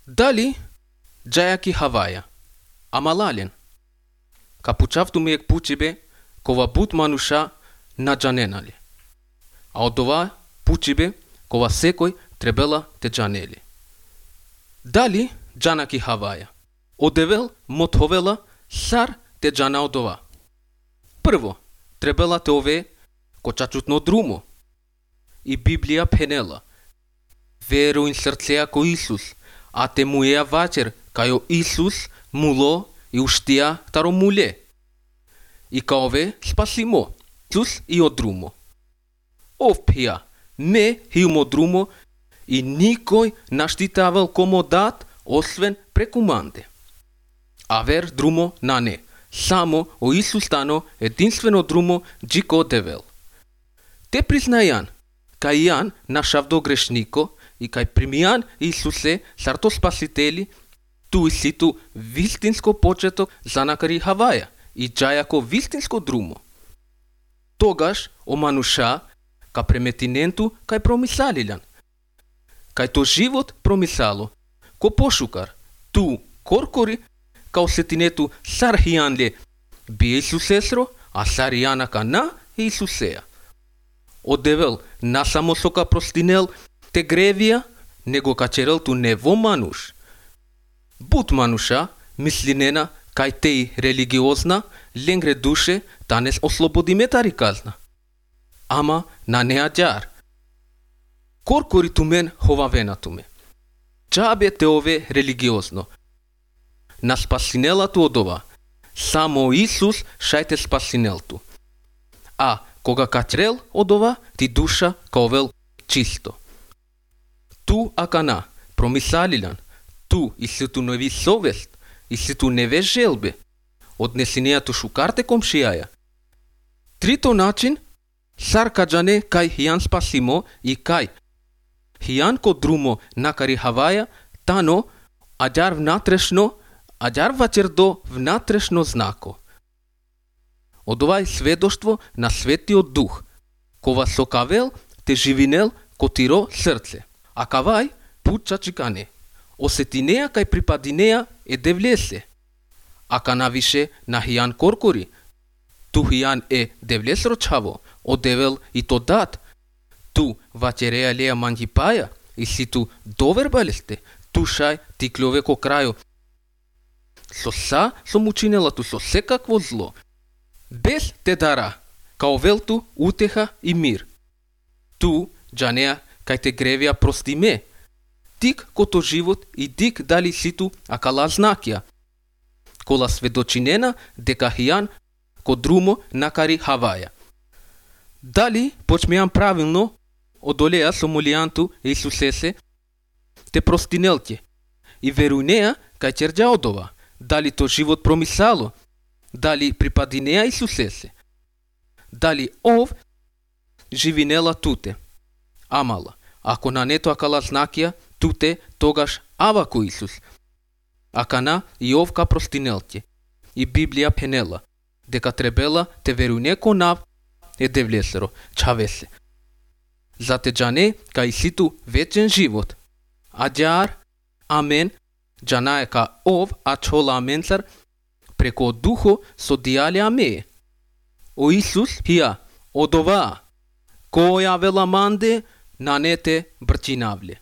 Дали джајаки Хаваја, амалален, капучавту миек пучибе, кова бут мануша наджаненали, а од ова пучибе, кова секој требела те джанели. Дали джанаки Хаваја, одевел мотовела сар те джана од ова. Прво, требела те ове кочачутно друмо, и Библија пенела, веруин срцеа ко Исус, а те муеа вачер, кајо Исус муло и уштија таро муле. И каове спасимо, Исус и од друмо. Ов пија, не хилмо друмо и никој наштитавал комо дат, освен преку манде. А вер друмо на не, само о Исус стано единствено друмо джико девел. Те признајан, кај јан нашавдо грешнико и кај примијан Исусе сарто спасители, ту и ситу вистинско почеток за накари Хаваја и джајако вистинско друмо. Тогаш о мануша ка преметиненту кај промисалилјан. Кај то живот промисало, ко пошукар, ту коркори, као сетинету сар хијанле би Исусесро, а сар јана кана Исусеја. Одевел насамо сока простинел те гревија, него качерел ту нево мануш. Бут мануша, мислинена, кај теј религиозна, ленгре душе, танес ослободи тари казна. Ама на неа џар. Коркори ту мен ховавена ту ме. Джабе те ове религиозно. На спасинелату од ова. Само Исус шајте спасинелту. А кога качрел од ова, ти душа каовел чисто. Ту акана, промисалилјан, ту и ситу неви совест, и ситу неве желбе, однесинејату шукарте комшијаја. Трито начин, сар каджане кај хијан спасимо и кај хијан ко друмо накари Хаваја, тано аџар внатрешно, аџар вачердо внатрешно знако. Од ова е сведоштво на Светиот Дух, кова со кавел те живинел ко тиро срце, а кавај пуча чикане. Осетинеја кај припадинеја е девлесе, а канавише на хијан коркори, ту хијан е девлесро чаво, одевел и то дат, ту вачереја леја манјипаја, и ситу довербалесте, ту шај тиклове ко крајо. Со са сом учинелату со секакво зло, без те дара, као велту утеха и мир. Ту джанеа кај те гревија прости ме, тик кото живот и дик дали ситу акала знакија, кола сведочинена дека хијан ко друмо накари Хаваја. Дали почмејан правилно одолеа со молијанту Исусесе, те простинелке и верујнеа кај черџа од ова, дали то живот промисало, дали припадинеа Исусесе, дали ов живинела туте. Амала, ако на нето акала знакија, туте тогаш ава ко Исус. Акана и ов ка простинелке. И Библија пенела, дека требела те верујне ко нав е девлесеро, чавесе. За те джане кај ситу вечен живот. Аџар, амен, джанае ка ов ачола аменцар, преко духо со дијале аме. О Исус хија, од ова, која вела манде, на нете брчинавле.